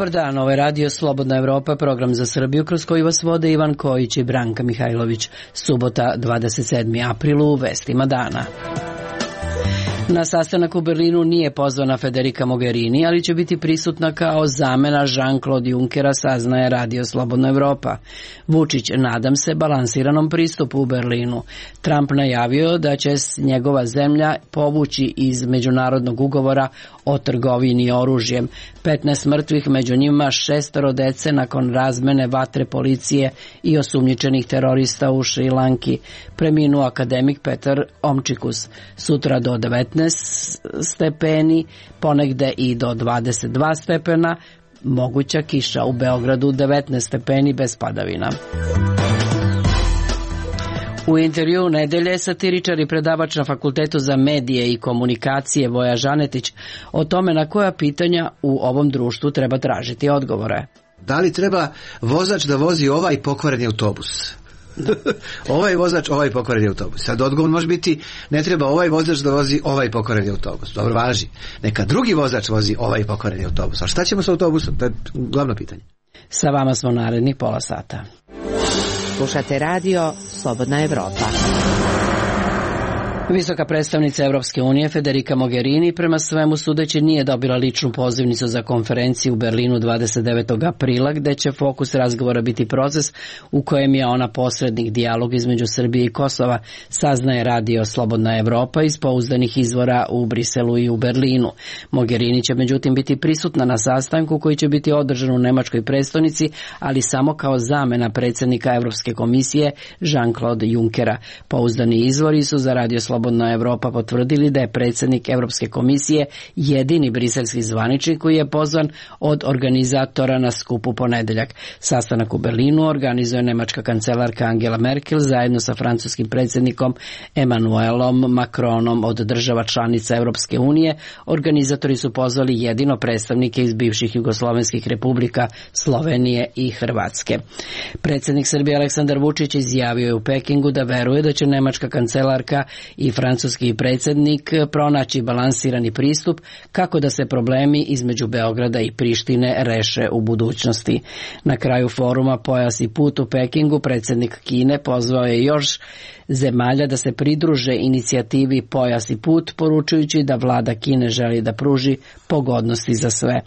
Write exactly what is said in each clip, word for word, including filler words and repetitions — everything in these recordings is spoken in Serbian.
Dobar dan, ovo je Radio Slobodna Evropa, program za Srbiju kroz koji vas vode Ivan Kojić i Branka Mihajlović. Subota, dvadeset sedmi april, u vestima dana. Na sastanak u Berlinu nije pozvana Federica Mogherini, ali će biti prisutna kao zamena Jean-Claude Junckera, saznaje Radio Slobodna Evropa. Vučić, nadam se, balansiranom pristupu u Berlinu. Trump najavio da će njegova zemlja povući iz međunarodnog ugovora o trgovini oružjem. petnaest mrtvih, među njima šestoro dece nakon razmene vatre policije i osumnjičenih terorista u Šrilanki. Preminuo akademik Petar Omčikus. Sutra do devetnaest stepeni, ponegde i do dvadeset dva stepena, moguća kiša. U Beogradu devetnaest stepeni bez padavina. U intervjuu nedelje satiričar i predavač na Fakultetu za medije i komunikacije Voja Žanetić o tome na koja pitanja u ovom društvu treba tražiti odgovore. Da li treba vozač da vozi ovaj pokvareni autobus? Ovaj vozač, ovaj pokvareni autobus. Sad odgovor može biti, ne treba ovaj vozač da vozi ovaj pokvareni autobus. Dobro, važi. Neka drugi vozač vozi ovaj pokvareni autobus. A šta ćemo sa autobusom? To je glavno pitanje. Sa vama smo narednih pola sata. Slušate radio Slobodna Evropa. Visoka predstavnica Evropske unije Federica Mogherini prema svemu sudeći nije dobila ličnu pozivnicu za konferenciju u Berlinu dvadeset devetog aprila, gde će fokus razgovora biti proces u kojem je ona posrednik dijalog između Srbije i Kosova, saznaje Radio Slobodna Evropa iz pouzdanih izvora u Briselu i u Berlinu. Mogherini će međutim biti prisutna na sastanku koji će biti održan u nemačkoj prestonici, ali samo kao zamena predsjednika Evropske komisije Jean-Claude Junckera. Pouzdani izvori su za Radio Slobodna Slobodna Evropa potvrdili da je predsjednik Evropske komisije jedini briselski zvaničnik koji je pozvan od organizatora na skupu ponedeljak. Sastanak u Berlinu organizuje nemačka kancelarka Angela Merkel zajedno sa francuskim predsjednikom Emmanuelom Macronom od država članica Evropske unije. Organizatori su pozvali jedino predstavnike iz bivših jugoslovenskih republika Slovenije i Hrvatske. Predsjednik Srbije Aleksandar Vučić izjavio je u Pekingu da veruje da će nemačka kancelarka i francuski predsjednik pronaći balansirani pristup kako da se problemi između Beograda i Prištine reše u budućnosti. Na kraju foruma Pojas i put u Pekingu predsjednik Kine pozvao je još zemalja da se pridruže inicijativi Pojas i put, poručujući da vlada Kine želi da pruži pogodnosti za sve.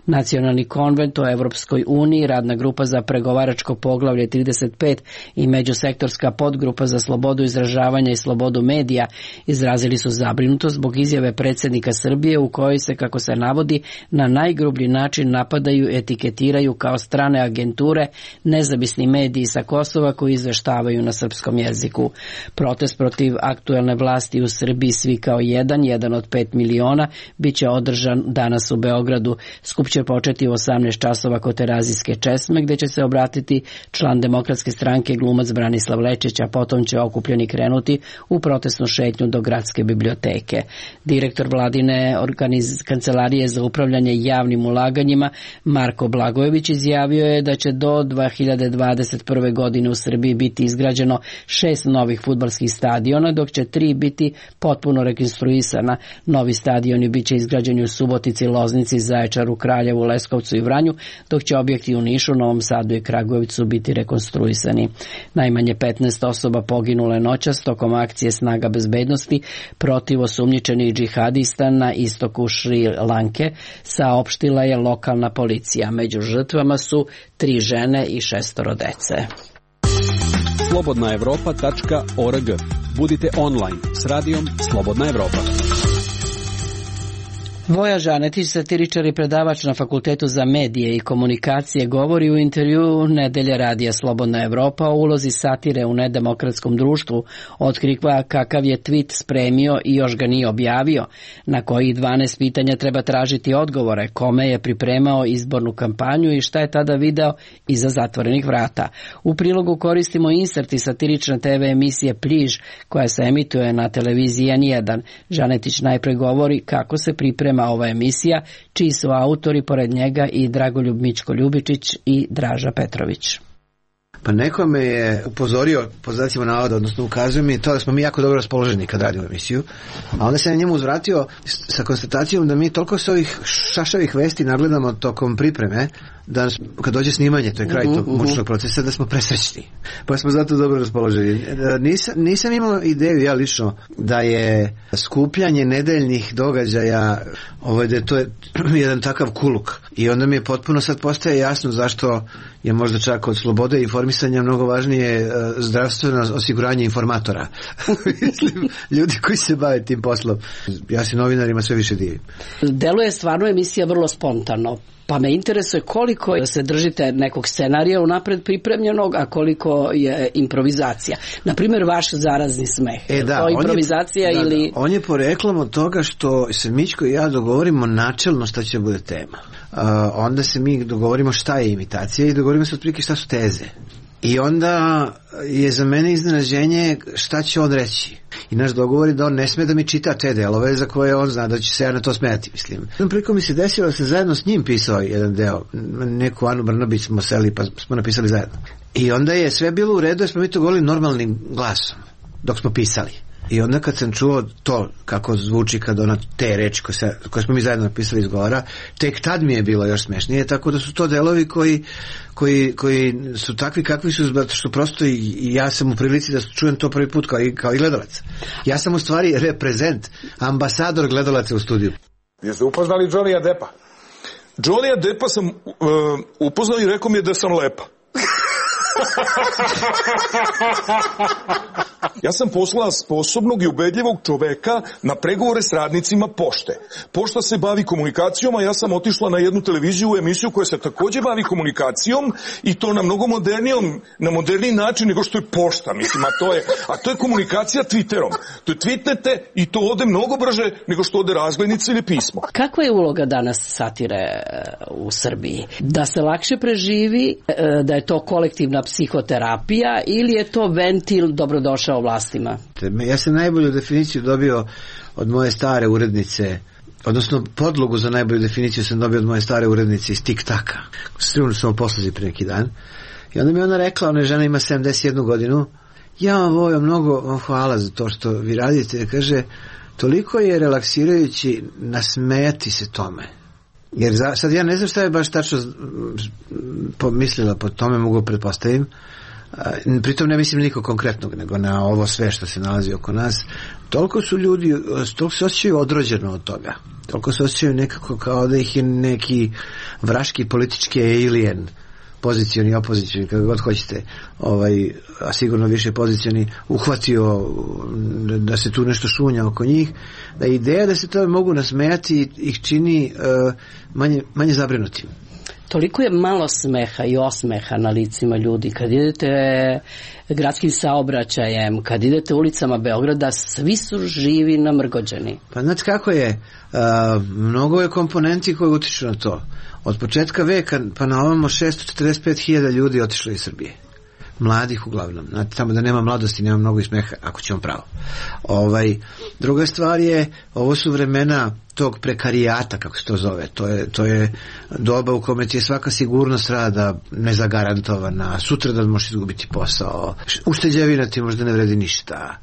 Nacionalni konvent o Evropskoj uniji, radna grupa za pregovaračko poglavlje trideset pet i međusektorska podgrupa za slobodu izražavanja i slobodu medija izrazili su zabrinutost zbog izjave predsjednika Srbije u kojoj se, kako se navodi, na najgrublji način napadaju, etiketiraju kao strane agenture nezavisni mediji sa Kosova koji izveštavaju na srpskom jeziku. Protest protiv aktuelne vlasti u Srbiji Svi kao jedan, jedan od pet miliona, bit će održan danas u Beogradu. Skup će početi u osamnaest časova kod Terazijske česme, gde će se obratiti član Demokratske stranke glumac Branislav Lečić, a potom će okupljeni krenuti u protestnu šetnju do Gradske biblioteke. Direktor vladine organiz... kancelarije za upravljanje javnim ulaganjima Marko Blagojević izjavio je da će do dve hiljade dvadeset prve. godine u Srbiji biti izgrađeno šest novih fudbalskih stadiona, dok će tri biti potpuno rekonstruisana. Novi stadioni biće izgrađeni u Subotici, Loznici, Zaječaru, Kraljevu, Leskovcu i Vranju, dok će objekti u Nišu, Novom Sadu i Kragujevcu biti rekonstruisani. Najmanje petnaest osoba poginule noćas tokom akcije Snaga bezbednosti protiv osumnjičenih džihadista na istoku Šri Lanke, saopštila je lokalna policija. Među žrtvama su tri žene i šestoro dece. slobodna evropa tačka org. Budite online s radijom Slobodna Evropa. Voja Žanetić, satiričar i predavač na Fakultetu za medije i komunikacije, govori u intervjuu nedelje Radija Slobodna Evropa o ulozi satire u nedemokratskom društvu, otkriva kakav je tweet spremio i još ga nije objavio, na kojih dvanaest pitanja treba tražiti odgovore, kome je pripremao izbornu kampanju i šta je tada video iza zatvorenih vrata. U prilogu koristimo inserti satirične te ve emisije Pliž, koja se emituje na televiziji en jedan. Žanetić najpre govori kako se priprema ova emisija, čiji su autori pored njega i Dragoljub Mićko Ljubičić i Draža Petrović. Pa neko me je upozorio, po znacima navoda, odnosno ukazuje mi to da smo mi jako dobro raspoloženi kad radimo emisiju, a onda se na njemu uzvratio sa konstatacijom da mi toliko se ovih šašavih vesti nagledamo tokom pripreme, da kad dođe snimanje, to je kraj tog mučnog procesa, da smo presrećni. Pa smo zato dobro raspoloženi. Nisam, nisam imao ideju, ja lično, da je skupljanje nedeljnih događaja, ovaj, da to je jedan takav kuluk. I onda mi je potpuno sad postaje jasno zašto je možda čak od slobode informisanja mnogo važnije zdravstveno osiguranje informatora. Mislim, ljudi koji se bave tim poslom. Ja se novinarima sve više divim. Deluje stvarno emisija vrlo spontano. Pa me interesuje koliko se držite nekog scenarija unapred pripremljenog, a koliko je improvizacija. Naprimjer, vaš zarazni smeh. E, da, to improvizacija on je, ili... Da, da, on je poreklom od toga što se Mićko i ja dogovorimo načelno šta će bude tema. Uh, onda se mi dogovorimo šta je imitacija i dogovorimo se otprilike šta su teze. I onda je za mene iznenađenje šta će on reći. I naš dogovor je da on ne sme da mi čita te delove za koje on zna da će se ja na to smijati, mislim. Jednom prilikom mi se desilo da sam zajedno s njim pisao jedan deo. Neku Anu Brnabić smo seli pa smo napisali zajedno. I onda je sve bilo u redu jer smo mi to govorili normalnim glasom dok smo pisali. I onda kad sam čuo to kako zvuči kad ona te reči koje, se, koje smo mi zajedno napisali izgovara, tek tad mi je bilo još smešnije, tako da su to delovi koji, koji, koji su takvi kakvi su, zato što prosto i, i ja sam u prilici da čujem to prvi put kao i, kao i gledalac. Ja sam u stvari reprezent, ambasador gledalaca u studiju. Jeste upoznali Johnnyja Deppa? Johnnyja Deppa sam uh, upoznao i rekao mi je da sam lepa. Ja sam poslao sposobnog i ubedljivog čoveka na pregovore s radnicima pošte. Pošta se bavi komunikacijom, a ja sam otišla na jednu televiziju u emisiju koja se takođe bavi komunikacijom i to na mnogo modernijom, na moderniji način nego što je pošta, mislim, a to je, a to je komunikacija Twitterom. To je tweetnete i to ode mnogo brže nego što ode razglednica ili pismo. Kakva je uloga danas satire u Srbiji? Da se lakše preživi, da je to kolektivna psihoterapija ili je to ventil dobrodošao vlastima? Ja sam najbolju definiciju dobio od moje stare urednice, odnosno podlogu za najbolju definiciju sam dobio od moje stare urednice iz Tik-taka. Srivno smo posluzi pre neki dan. I onda mi ona rekla, ona žena ima sedamdeset jednu godinu, ja vam volim mnogo, vam hvala za to što vi radite. Kaže, toliko je relaksirajući nasmejati se tome. Jer za, sad ja ne znam šta je baš tačno pomislila po tome, mogu pretpostavim. Pritom ne mislim niko konkretnog, nego na ovo sve što se nalazi oko nas. Toliko su ljudi, toliko se osjećaju odrođeno od toga. Toliko se osjećaju nekako kao da ih je neki vraški politički alien, pozicioni, opozicioni, kako god hoćete, ovaj, a sigurno više pozicioni, uhvatio da se tu nešto šunja oko njih, da ideja da se to mogu nasmejati ih čini uh, manje, manje zabrinutim. Toliko je malo smeha i osmeha na licima ljudi. Kad idete gradskim saobraćajem, kad idete ulicama Beograda, svi su živi namrgođeni. Pa znate kako je? Uh, mnogo je komponenti koji utiču na to. Od početka veka pa na ovamo šesto četrdeset pet hiljada ljudi otišlo iz Srbije. Mladih uglavnom. Znate, tamo da nema mladosti, nema mnogo i smeha, ako ćemo pravo. Ovaj, druga stvar je, ovo su vremena tog prekarijata, kako se to zove. To je, to je doba u kome ti je svaka sigurnost rada nezagarantovana, sutra da možeš izgubiti posao, ušteđevina ti možda ne vredi ništa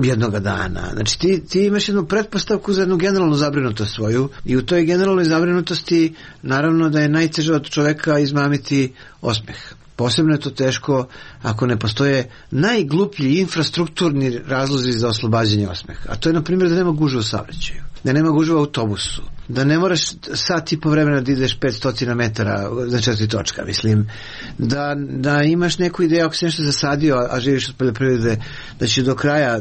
jednoga dana. Znači ti, ti imaš jednu pretpostavku za jednu generalnu zabrinutost svoju i u toj generalnoj zabrinutosti naravno da je najteže od čoveka izmamiti osmeh. Posebno je to teško ako ne postoje najgluplji infrastrukturni razlozi za oslobađanje osmeha. A to je, na primjer, da nema gužve u saobraćaju, da nema gužve u autobusu, da ne moraš sat i po vremena da ideš petsto metara za četiri točka, mislim, da, da imaš neku ideju ako si nešto zasadio, a živiš od poljoprivrede, da će do kraja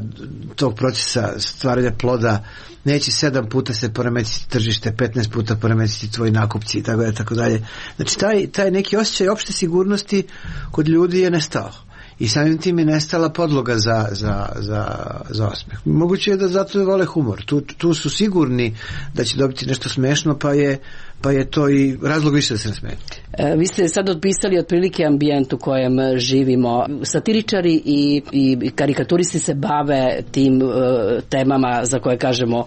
tog procesa stvaranja ploda neće sedam puta se poremetiti tržište, petnaest puta poremetiti tvoji nakupci i tako dalje, tako dalje. Znači taj, taj neki osjećaj opšte sigurnosti kod ljudi je nestao. I samim tim je nestala podloga za, za, za, za osmeh. Moguće je da zato vole humor. Tu, tu su sigurni da će dobiti nešto smešno, pa je, pa je to i razlog više da se nasmeje. E, vi ste sad otpisali otprilike ambijent u kojem živimo. Satiričari i, i karikaturisti se bave tim uh, temama za koje kažemo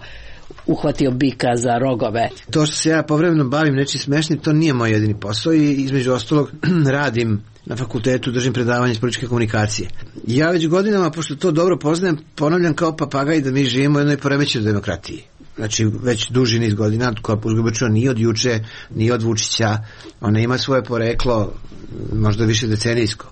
uhvatio bika za rogove. To što se ja povremeno bavim nečim smešnim, to nije moj jedini posao i između ostalog radim na fakultetu držim predavanje iz političke komunikacije. Ja već godinama, pošto to dobro poznajem, ponavljam kao papagaj da mi živimo u jednoj poremećenoj demokratiji. Znači, već duži niz godina, koja uzgobačuva nije od juče, nije od Vučića, ona ima svoje poreklo, možda više decenijsko.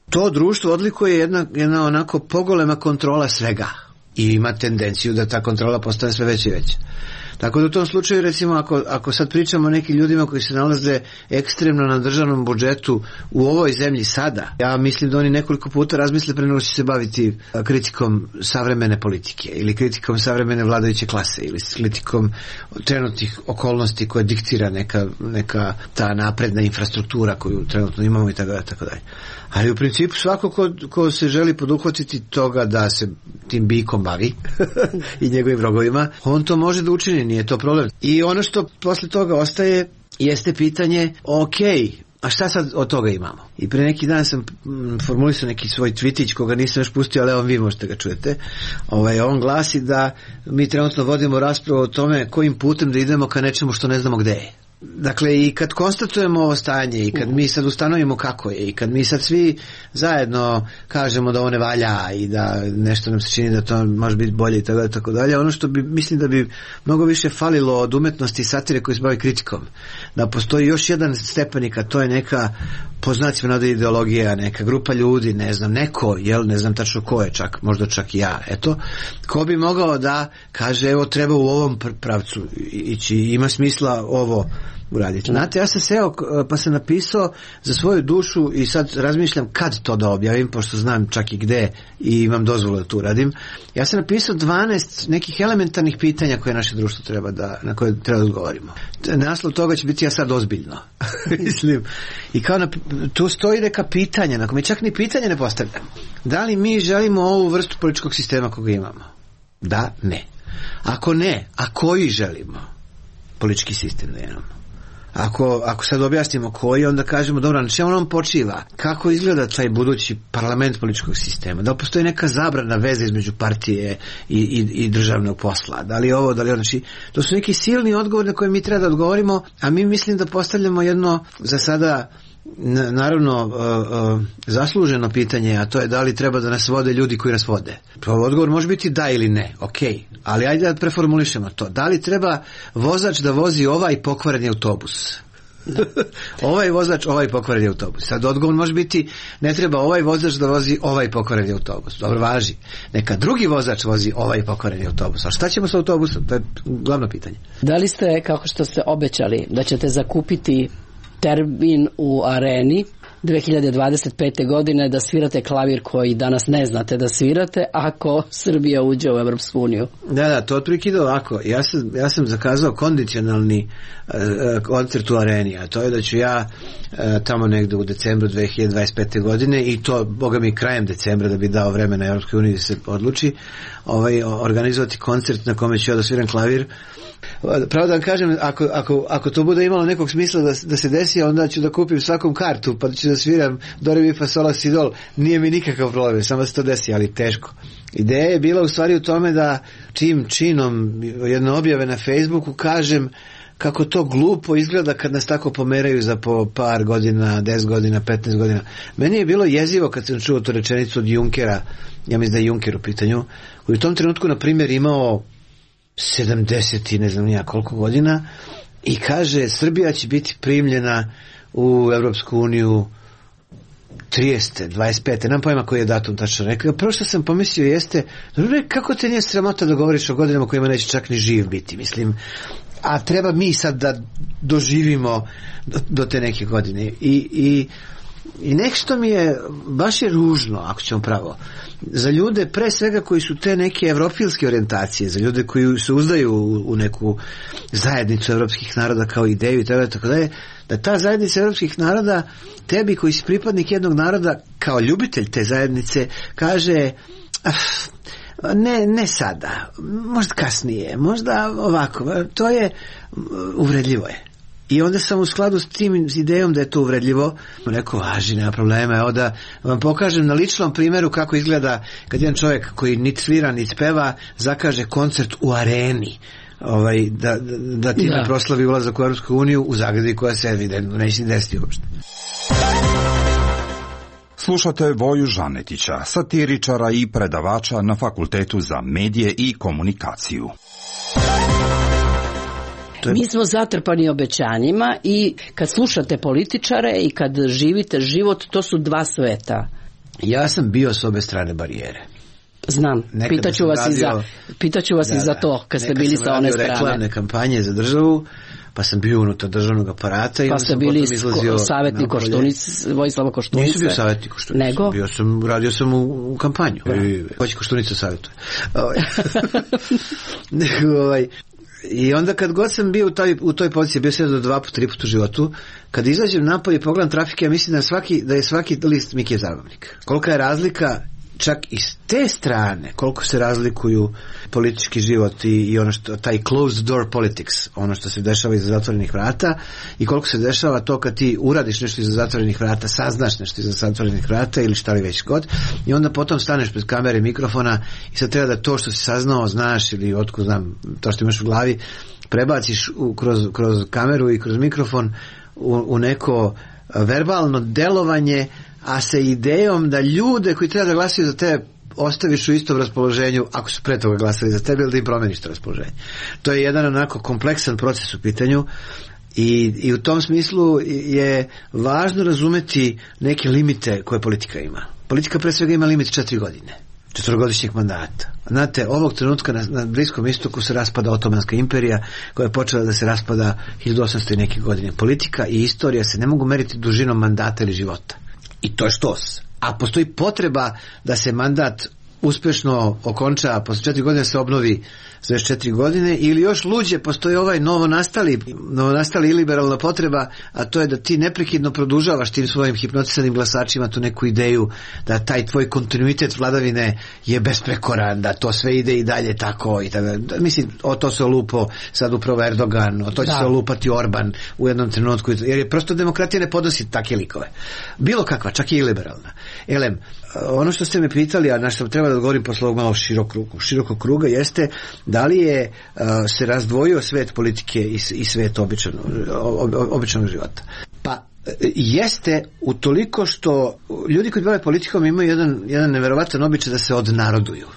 To društvo odlikuje jedna, jedna onako pogolema kontrola svega i ima tendenciju da ta kontrola postane sve veća i veća. Tako da u tom slučaju, recimo, ako, ako sad pričamo o nekim ljudima koji se nalaze ekstremno na državnom budžetu u ovoj zemlji sada, ja mislim da oni nekoliko puta razmisle pre nego će se baviti kritikom savremene politike ili kritikom savremene vladajuće klase ili kritikom trenutnih okolnosti koje diktira neka, neka ta napredna infrastruktura koju trenutno imamo i tako da, tako dalje. Ali u principu svako ko, ko se želi poduhvatiti toga da se tim bikom bavi i njegovim vrogovima, on to može da učini, nije to problem. I ono što posle toga ostaje jeste pitanje, ok, a šta sad od toga imamo? I pre neki dan sam formulisao neki svoj tvitić koga nisam još pustio, ali evo vi možete ga čujete. Ovaj, on glasi da mi trenutno vodimo raspravu o tome kojim putem da idemo ka nečemu što ne znamo gde je. Dakle, i kad konstatujemo ovo stanje i kad mi sad ustanovimo kako je i kad mi sad svi zajedno kažemo da ovo ne valja i da nešto nam se čini da to može biti bolje i tako dalje, tako dalje, ono što bi, mislim da bi mnogo više falilo od umetnosti i satire koji se bavi kritikom, da postoji još jedan stepenik, a to je neka, po znacima navode, ideologija, neka grupa ljudi, ne znam, neko, jel, ne znam tačno ko je, čak, možda čak i ja, eto, ko bi mogao da kaže, evo, treba u ovom pravcu ići, ima smisla ovo uraditi. Znate, ja sam seo pa sam napisao za svoju dušu i sad razmišljam kad to da objavim, pošto znam čak i gde i imam dozvolu da to uradim. Ja sam napisao dvanaest nekih elementarnih pitanja koje naše društvo treba da, na koje treba da odgovorimo. Naslov toga će biti ja sad ozbiljno. Mislim. I kao na, tu stoji neka pitanja, na koje čak ni pitanje ne postavljam. Da li mi želimo ovu vrstu političkog sistema koga imamo? Da, ne. Ako ne, a koji želimo politički sistem da imamo? Ako, ako sad objasnimo koji, onda kažemo, dobro, na čemu on počiva? Kako izgleda taj budući parlament političkog sistema? Da li postoji neka zabrana veze između partije i, i, i državnog posla? Da li ovo, da li ono? Znači, to su neki silni odgovori na koje mi treba da odgovorimo, a mi mislim da postavljamo jedno, za sada, naravno uh, uh, zasluženo pitanje, a to je da li treba da nas vode ljudi koji nas vode. Odgovor može biti da ili ne, ok, ali ajde da preformulišemo to. Da li treba vozač da vozi ovaj pokvareni autobus? Ovaj vozač, ovaj pokvareni autobus. Sad odgovor može biti ne treba ovaj vozač da vozi ovaj pokvareni autobus. Dobro, važi. Neka drugi vozač vozi ovaj pokvareni autobus. A šta ćemo sa autobusom? To je glavno pitanje. Da li ste, kako što ste obećali, da ćete zakupiti termin u areni dve hiljade dvadeset pete. godine da svirate klavir koji danas ne znate da svirate ako Srbija uđe u Evropsku uniju? Da, da, to otprilike ide ovako. Ja sam, ja sam zakazao kondicionalni uh, koncert u areni, a to je da ću ja uh, tamo negde u decembru dve hiljade dvadeset pete. godine i to, boga mi, krajem decembra da bi dao vremena Evropskoj uniji da se odluči, ovaj, organizovati koncert na kome ću ja da sviram klavir. Pravo da vam kažem, ako, ako, ako to bude imalo nekog smisla da, da se desi, onda ću da kupim svakom kartu pa ću da sviram do re mi fa sol la si dol. Nije mi nikakav problem, samo da se to desi, ali teško. Ideja je bila u stvari u tome da čim činom jedne objave na Facebooku kažem kako to glupo izgleda kad nas tako pomeraju za po par godina, deset godina, petnaest godina. Meni je bilo jezivo kad sam čuo tu rečenicu od Junkera, ja mislim da je Junker u pitanju, koji u tom trenutku, na primjer, imao sedamdeset i ne znam nija koliko godina i kaže Srbija će biti primljena u Evropsku uniju tridesete, dvadeset pete. Nam pojma koji je datum tačno rekao. Prvo što sam pomislio jeste, kako te nije sramota da govoriš o godinama kojima neće čak ni živ biti, mislim, a treba mi sad da doživimo do, do te neke godine i, i I nešto mi je, baš je ružno, ako ćemo pravo, za ljude pre svega koji su te neke evropilske orijentacije, za ljude koji se uzdaju u, u neku zajednicu evropskih naroda kao ideju i tako dalje, da ta zajednica evropskih naroda tebi koji si pripadnik jednog naroda kao ljubitelj te zajednice kaže ne, ne sada, možda kasnije, možda ovako, to je uvredljivo je. I onda sam u skladu s tim idejom da je to uvredljivo rekao, važi, nema problema, evo da vam pokažem na ličnom primjeru kako izgleda kad jedan čovjek koji nit svira, nit peva zakaže koncert u areni ovaj, da, da ti ne proslavi ulazak u Europsku uniju u zagradi koja se evidentno neće desiti uopšte. Slušate Voju Žanetića, satiričara i predavača na Fakultetu za medije i komunikaciju. Mi smo zatrpani obećanjima i kad slušate političare i kad živite život, to su dva sveta. Ja sam bio s obe strane barijere. Znam, pitaću vas, radio, i, za, pitaću vas da, i za to, kad ste bili sa one strane. Reklamne kampanje za državu, pa sam bio unutar državnog aparata. I pa ste bili savjetnik Koštunic, Vojislava Koštunice. Nisam bio savjetnik Koštunice. Nego? Bio sam, radio sam u, u kampanju. Hoće Koštunica savjetuje. Nego, ovaj... I onda kad god sam bio u toj, u toj poziciji, bio sam do dva po tri put u životu, kad izađem napolje i pogledam trafike, ja mislim da, svaki, da je svaki list Mikije Zabavnik. Kolika je razlika čak i s te strane, koliko se razlikuju politički život i, i ono što, taj closed door politics, ono što se dešava iza zatvorenih vrata, i koliko se dešava to kad ti uradiš nešto iza zatvorenih vrata, saznaš nešto iza zatvorenih vrata ili šta li već god, i onda potom staneš pred kamere, mikrofona i sad treba da to što si saznao, znaš ili otkud znam, to što imaš u glavi, prebaciš u, kroz, kroz kameru i kroz mikrofon u, u neko verbalno delovanje, a sa idejom da ljude koji treba da glasaju za tebe ostaviš u istom raspoloženju ako su pre toga glasali za tebe, ili da im promeniš to raspoloženje. To je jedan onako kompleksan proces u pitanju i, i u tom smislu je važno razumeti neke limite koje politika ima. Politika pre svega ima limit četiri godine. četvorogodišnjeg mandata. Znate, ovog trenutka na, na Bliskom istoku se raspada Otomanska imperija koja je počela da se raspada hiljadu osamsto i neke godine. Politika i istorija se ne mogu meriti dužinom mandata ili života. I to je štos. A postoji potreba da se mandat uspešno okonča, posle četiri godine se obnovi za još četiri godine, ili još luđe, postoji ovaj novonastali, novonastali iliberalna potreba, a to je da ti neprekidno produžavaš tim svojim hipnotisanim glasačima tu neku ideju da taj tvoj kontinuitet vladavine je besprekoran, da to sve ide i dalje tako i tako. Mislim, o to se olupo sad upravo Erdogan, o to će da. se olupati Orban u jednom trenutku, jer je prosto demokratija ne podnosi takve likove. Bilo kakva, čak i iliberalna. Elem, ono što ste me pitali, a na što treba da odgovorim posle ovog malo širokog, širokog kruga, jeste da li je uh, se razdvojio svet politike i, i svet običanog, ob, običanog života. Pa jeste utoliko što ljudi koji bave politikom imaju jedan, jedan neverovatan običaj da se odnaroduju.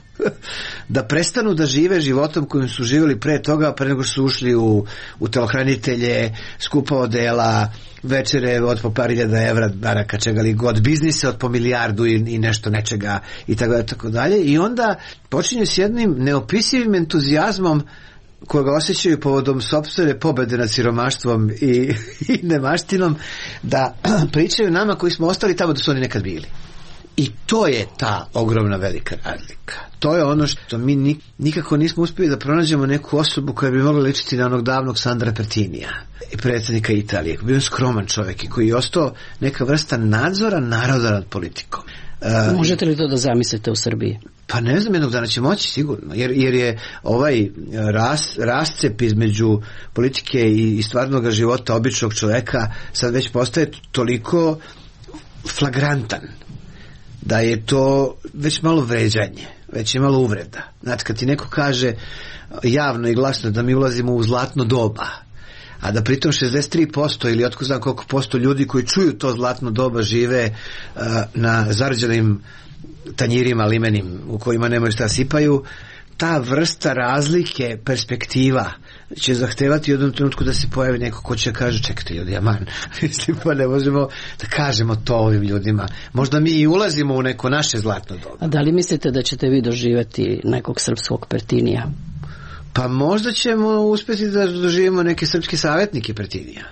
Da prestanu da žive životom kojim su živjeli pre toga, pre nego su ušli u, u telohranitelje, skupa odela, večere od po par hiljada evra, baraka, čega li god, biznise od po milijardu i, i nešto nečega i tako, tako dalje. I onda počinju s jednim neopisivim entuzijazmom koga osjećaju povodom sopstvene pobede nad siromaštvom i, i nemaštinom, da pričaju nama koji smo ostali tamo da su oni nekad bili. I to je ta ogromna velika razlika. To je ono što mi nikako nismo uspjeli da pronađemo neku osobu koja bi mogla ličiti na onog davnog Sandra Pertinija i predsjednika Italije, koji je bio skroman čovjek i koji je ostao neka vrsta nadzora naroda nad politikom. Uh, Možete li to da zamislite u Srbiji? Pa ne znam, jednog dana će moći sigurno, jer, jer je ovaj ras, rascep između politike i, i stvarnog života običnog čovjeka sad već postaje toliko flagrantan da je to već malo vređanje, već je malo uvreda. Znači, kad ti neko kaže javno i glasno da mi ulazimo u zlatno doba, a da pritom šezdeset tri posto ili otko znam koliko posto ljudi koji čuju to zlatno doba žive uh, na zarđenim tanjirima limenim u kojima nemaju šta sipaju, ta vrsta razlike perspektiva će zahtevati u jednom trenutku da se pojavi neko ko će kaže čekajte ljudi, aman, mislim pa ne možemo da kažemo to ovim ljudima. Možda mi i ulazimo u neko naše zlatno doba. A da li mislite da ćete vi doživjeti nekog srpskog Pertinija? Pa možda ćemo uspjeti da doživimo neke srpske savjetnike Pertinija.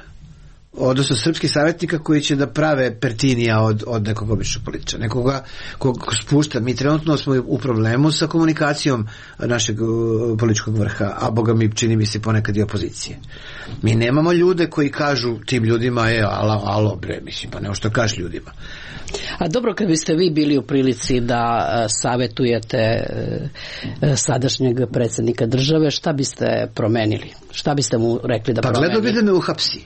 Odnosno srpskih savjetnika koji će da prave Pertinija od, od nekog običnog političara, nekoga kog spušta. Mi trenutno smo u problemu sa komunikacijom našeg uh, političkog vrha, a boga mi čini mi se ponekad i opozicije. Mi nemamo ljude koji kažu tim ljudima je alo, alo bre, mislim, pa nemo što kažeš ljudima. A dobro, kad biste vi bili u prilici da uh, savjetujete uh, sadašnjeg predsjednika države, šta biste promenili? Šta biste mu rekli da pa promeni? Pa gledao bi da me uhapsi.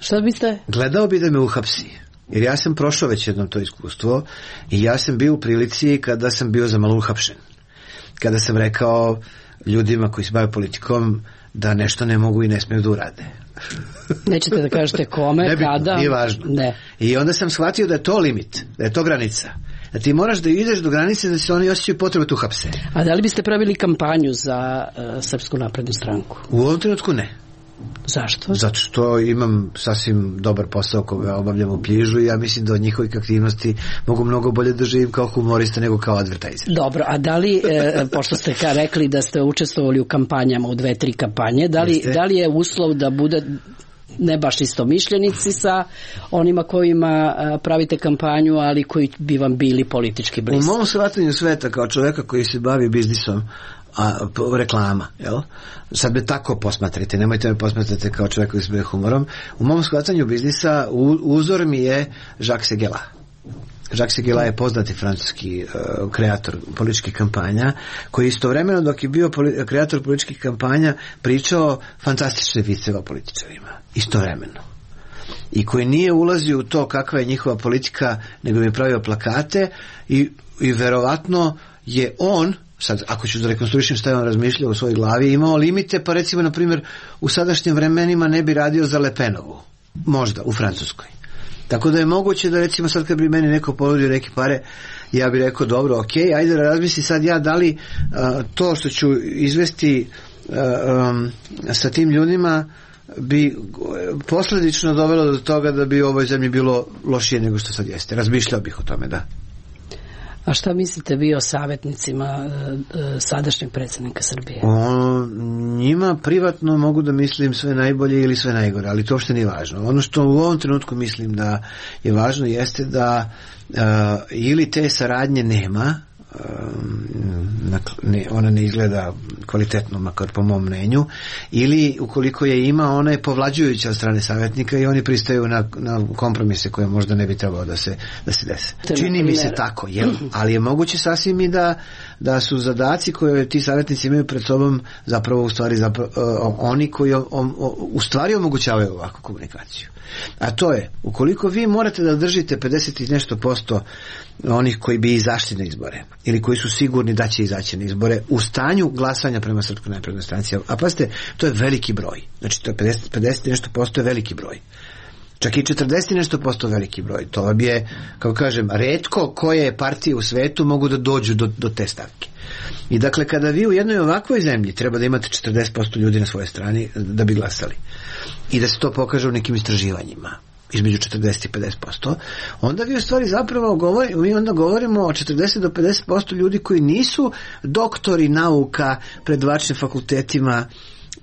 Šta biste? Gledao bi da me uhapsi. Jer ja sam prošao već jednom to iskustvo i ja sam bio u prilici kada sam bio za malo uhapšen. Kada sam rekao ljudima koji se bave politikom da nešto ne mogu i ne smiju da urade. Nećete da kažete kome, ne bitno, kada? Nije važno. Ne. I onda sam shvatio da je to limit, da je to granica. Da ti moraš da ideš do granice da se oni osjećaju potrebu tu hapse. A da li biste pravili kampanju za uh, Srpsku naprednu stranku? U ovom trenutku ne. Zašto? Zato što imam sasvim dobar posao koga obavljam u Pljižu i ja mislim da od njihovih aktivnosti mogu mnogo bolje da živim kao humorista nego kao advertiser. Dobro, a da li, e, pošto ste ka rekli da ste učestvovali u kampanjama, u dve, tri kampanje, da li, da li je uslov da bude ne baš istomišljenici sa onima kojima pravite kampanju, ali koji bi vam bili politički bliski? U mom shvatanju sveta kao čoveka koji se bavi biznisom, a reklama, jel? Sad me tako posmatrite, nemojte me posmatrati kao čovjek koji se bavi humorom. U mom shvatanju biznisa uzor mi je Jacques Seguela. Jacques Seguela je poznati francuski uh, kreator političkih kampanja, koji istovremeno dok je bio poli- kreator političkih kampanja pričao fantastične viceve o političarima. Istovremeno. I koji nije ulazio u to kakva je njihova politika, nego mi je pravio plakate i, i verovatno je on, sad ako ću da rekonstruišem šta je on razmišljao u svojoj glavi, imao limite, pa recimo na primjer u sadašnjim vremenima ne bi radio za Le Penovu, možda u Francuskoj. Tako da je moguće da recimo sad kad bi meni neko ponudio neke pare, ja bih rekao dobro, ok, ajde da razmisli sad ja da li uh, to što ću izvesti uh, um, sa tim ljudima bi posljedično dovelo do toga da bi u ovoj zemlji bilo lošije nego što sad jeste. Razmišljao bih o tome, da. A šta mislite vi o savjetnicima e, e, sadašnjeg predsjednika Srbije? O njima privatno mogu da mislim sve najbolje ili sve najgore, ali to uopšte nije važno. Ono što u ovom trenutku mislim da je važno jeste da uh, ili te saradnje nema, ne, ona ne izgleda kvalitetno, makar po mom mnenju, ili ukoliko je ima, ona je povlađujuća od strane savjetnika i oni pristaju na, na kompromise koje možda ne bi trebalo da se, da se dese. Čini mi se tako, jel? Ali je moguće sasvim i da, da su zadaci koje ti savjetnici imaju pred sobom zapravo u stvari zapravo, uh, oni koji o, o, u stvari omogućavaju ovakvu komunikaciju. A to je, ukoliko vi morate da držite pedeset i nešto posto onih koji bi izašli na izbore ili koji su sigurni da će izaći na izbore u stanju glasanja prema Srpskoj naprednoj stranci, a pazite, to je veliki broj, znači to je pedeset, pedeset i nešto posto je veliki broj, čak i četrdeset i nešto posto veliki broj, to vam je, kako kažem, retko koje partije u svetu mogu da dođu do, do te stavke. I dakle, kada vi u jednoj ovakvoj zemlji treba da imate četrdeset posto ljudi na svojoj strani da bi glasali i da se to pokaže u nekim istraživanjima između četrdeset i pedeset posto, onda vi u stvari zapravo govori, mi onda govorimo o četrdeset do pedeset posto ljudi koji nisu doktori nauka pred vačnim fakultetima,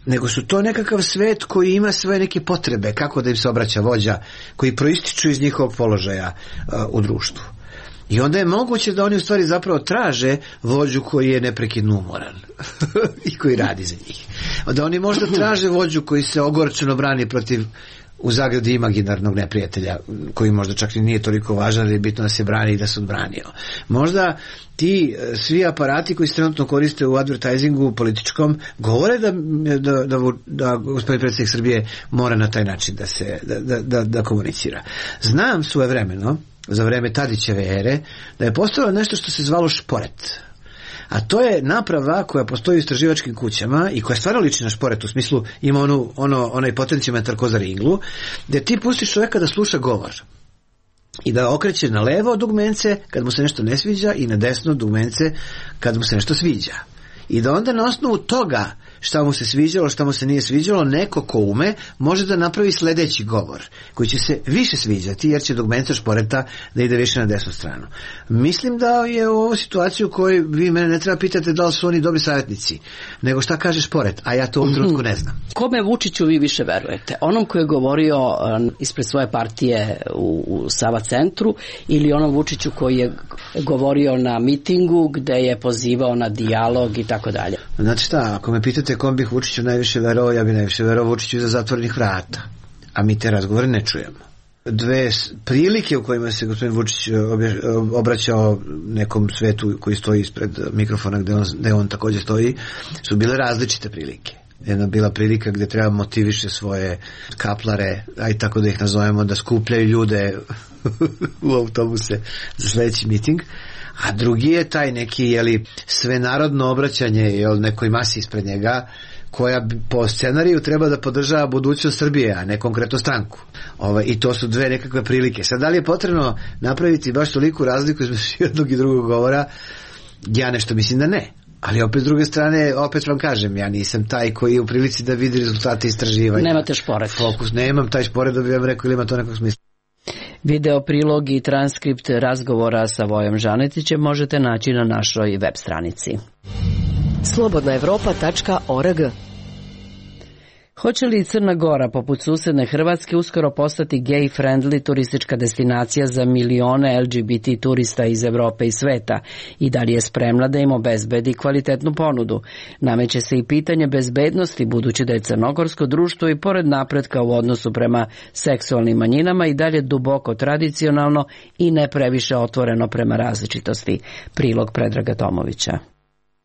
nego su to nekakav svet koji ima svoje neke potrebe, kako da im se obraća vođa, koji proističu iz njihovog položaja uh, u društvu. I onda je moguće da oni u stvari zapravo traže vođu koji je neprekidno umoran i koji radi za njih. Da oni možda traže vođu koji se ogorčeno brani protiv u zagradi imaginarnog neprijatelja, koji možda čak i nije toliko važan, ali je bitno da se brani i da se odbranio. Možda ti svi aparati koji se trenutno koriste u advertisingu političkom govore da, da, da, da gospodin predsjednik Srbije mora na taj način da se da, da, da, da komunicira. Znam svojevremeno, za vreme Tadićeve ere, da je postojalo nešto što se zvalo šporet. A to je naprava koja postoji u istraživačkim kućama i koja stvarno liči na šporet, u smislu ima onu, ono, onaj potencijometar ko za ringlu, gdje ti pustiš čovjeka da sluša govor i da okreće na levo dugmence kad mu se nešto ne sviđa i na desno dugmence kad mu se nešto sviđa. I da onda na osnovu toga šta mu se sviđalo, šta mu se nije sviđalo, neko ko ume može da napravi sljedeći govor koji će se više sviđati jer će dugmence šporeta da ide više na desnu stranu. Mislim da je u ovoj situaciji u kojoj vi mene ne treba pitati da li su oni dobri savjetnici, nego šta kaže šporet, a ja to u ovom trenutku ne znam. Kome Vučiću vi više verujete? Onom koji je govorio um, ispred svoje partije u, u Sava centru ili onom Vučiću koji je govorio na mitingu gde je pozivao na dijalog i tako dalje? Znači šta, ako me pitate kom bih Vučiću najviše verovao, ja bih najviše verovao Vučiću iza zatvorenih vrata. A mi te razgovore ne čujemo. Dve prilike u kojima se gospodin Vučić obraćao nekom svetu koji stoji ispred mikrofona gde on, gde on također stoji, su bile različite prilike. Jedna bila prilika gdje treba motiviše svoje kaplare, aj tako da ih nazovemo, da skupljaju ljude u autobuse za sljedeći miting. a drugi je taj neki, jeli, svenarodno obraćanje, jel, nekoj masi ispred njega, koja po scenariju treba da podržava budućnost Srbije, a ne konkretno stranku. Ove, I to su dve nekakve prilike. Sad, da li je potrebno napraviti baš toliku razliku između jednog i drugog govora? Ja nešto mislim da ne. Ali opet s druge strane, opet vam kažem, ja nisam taj koji je u prilici da vidi rezultate istraživanja. Nemate šporet. Fokus, nemam taj šporet da bi vam rekao ili ima to nekog smisla. Video prilog i transkript razgovora sa Vojom Žanetićem možete naći na našoj web stranici. slobodna evropa tačka org. Hoće li Crna Gora, poput susedne Hrvatske, uskoro postati gay-friendly turistička destinacija za milione L G B T turista iz Evrope i sveta i da li je spremna da im obezbedi kvalitetnu ponudu? Nameće se i pitanje bezbednosti, budući da je crnogorsko društvo i pored napretka u odnosu prema seksualnim manjinama i dalje duboko tradicionalno i ne previše otvoreno prema različitosti. Prilog Predraga Tomovića.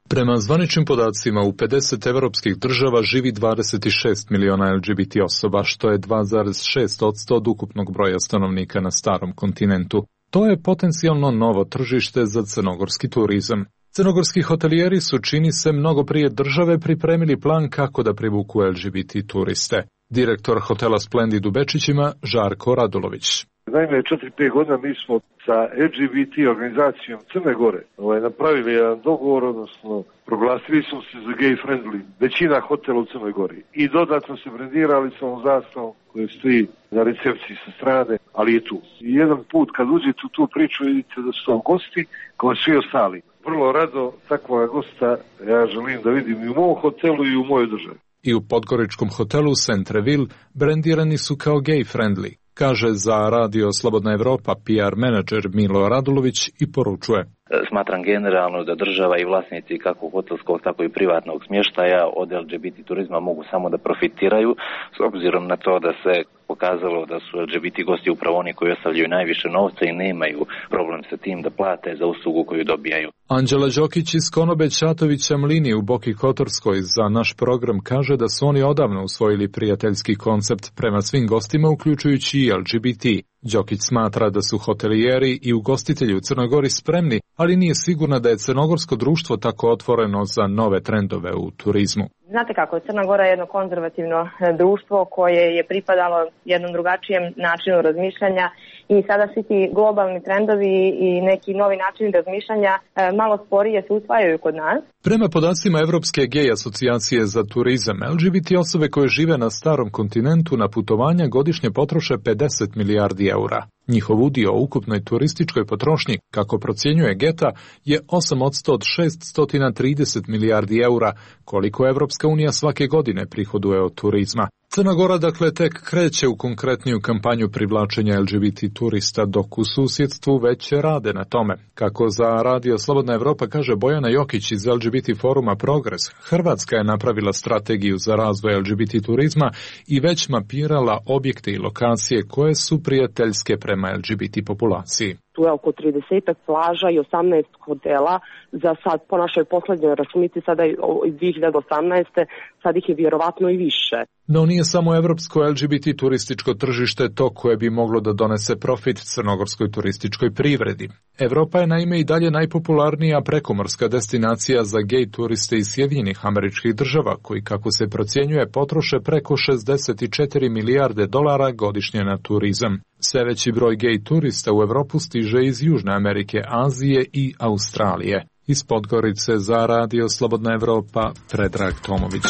Prema zvaničnim podacima, u pedeset evropskih država živi dvadeset šest miliona L G B T osoba, što je dva zarez šest posto od ukupnog broja stanovnika na starom kontinentu. To je potencijalno novo tržište za crnogorski turizam. Crnogorski hotelijeri su, čini se, mnogo prije države pripremili plan kako da privuku L G B T turiste. Direktor hotela Splendid u Bečićima, Žarko Radulović. Naime, četiri pet godina mi smo sa L G B T organizacijom Crne Gore ovaj, napravili jedan dogovor, odnosno proglasili smo se za gay friendly većina hotela u Crnoj Gori i dodatno se brendirali sa ovom zastavom koja stoji na recepciji sa strane, ali je tu. I jedan put kad uđete u tu priču vidite da su to gosti kao svi ostali. Vrlo rado takvog gosta ja želim da vidim i u mom hotelu i u mojoj državi. I u podgoričkom hotelu Centreville brendirani su kao gay friendly, kaže za radio Slobodna Evropa P R menadžer Milo Radulović i poručuje. Smatram generalno da država i vlasnici kako hotelskog, tako i privatnog smještaja od L G B T turizma mogu samo da profitiraju, s obzirom na to da se pokazalo da su L G B T gosti upravo oni koji ostavljaju najviše novca i nemaju problem sa tim da plate za uslugu koju dobijaju. Anđela Đokić iz Konobe Ćatovića Mlini u Boki Kotorskoj za naš program kaže da su oni odavno usvojili prijateljski koncept prema svim gostima, uključujući i L G B T. Đokić smatra da su hotelijeri i ugostitelji u Crnoj Gori spremni, ali nije sigurna da je crnogorsko društvo tako otvoreno za nove trendove u turizmu. Znate kako, Crna Gora je jedno konzervativno društvo koje je pripadalo jednom drugačijem načinu razmišljanja i sada svi ti globalni trendovi i neki novi načini razmišljanja malo sporije se usvajaju kod nas. Prema podacima Evropske gej asocijacije za turizam, L G B T osobe koje žive na starom kontinentu na putovanja godišnje potroše pedeset milijardi eura. Njihov udio u ukupnoj turističkoj potrošnji, kako procjenjuje Geta, je osam posto od šeststo trideset milijardi eura, koliko Evropska unija svake godine prihoduje od turizma. Crna Gora dakle tek kreće u konkretniju kampanju privlačenja L G B T turista, dok u susjedstvu već rade na tome. Kako za radio Slobodna Evropa kaže Bojana Jokić iz L G B T foruma Progres, Hrvatska je napravila strategiju za razvoj L G B T turizma i već mapirala objekte i lokacije koje su prijateljske prema L G B T populaciji. Tu je oko trideset plaža i osamnaest hotela. Za sad, po našoj poslednjoj računici, sada iz dve hiljade osamnaeste. sad ih je vjerovatno i više. No nije samo evropsko L G B T turističko tržište to koje bi moglo da donese profit crnogorskoj turističkoj privredi. Evropa je naime i dalje najpopularnija prekomorska destinacija za gej turiste iz Sjedinjenih Američkih Država, koji, kako se procjenjuje, potroše preko šezdeset četiri milijarde dolara godišnje na turizam. Sve veći broj gej turista u Evropu stiže iz Južne Amerike, Azije i Australije. Iz Podgorice za radio Slobodna Evropa, Predrag Tomović.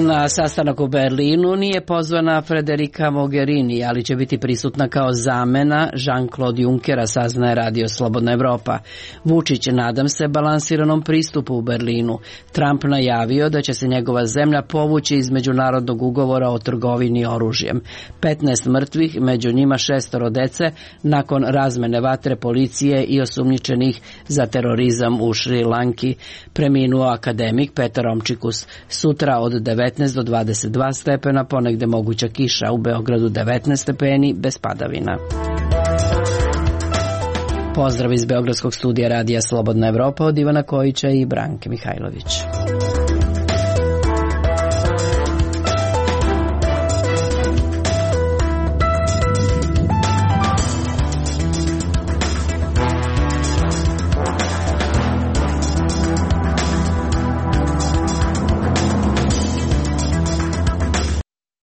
Na sastanak u Berlinu nije pozvana Federica Mogherini, ali će biti prisutna kao zamena Jean-Claude Junckera, saznaje radio Slobodna Evropa. Vučić, nadam se, balansiranom pristupu u Berlinu. Trump najavio da će se njegova zemlja povući iz međunarodnog ugovora o trgovini oružjem. petnaest mrtvih, među njima šestoro dece, nakon razmene vatre policije i osumnjičenih za terorizam u Šri Lanki. Preminuo akademik Petar Omčikus. Sutra od devetnaest do dvadeset dva stepena, ponegde moguća kiša, u Beogradu devetnaest stepeni, bez padavina. Pozdrav iz Beogradskog studija radija Slobodna Evropa od Ivana Kojića i Branke Mihajlović.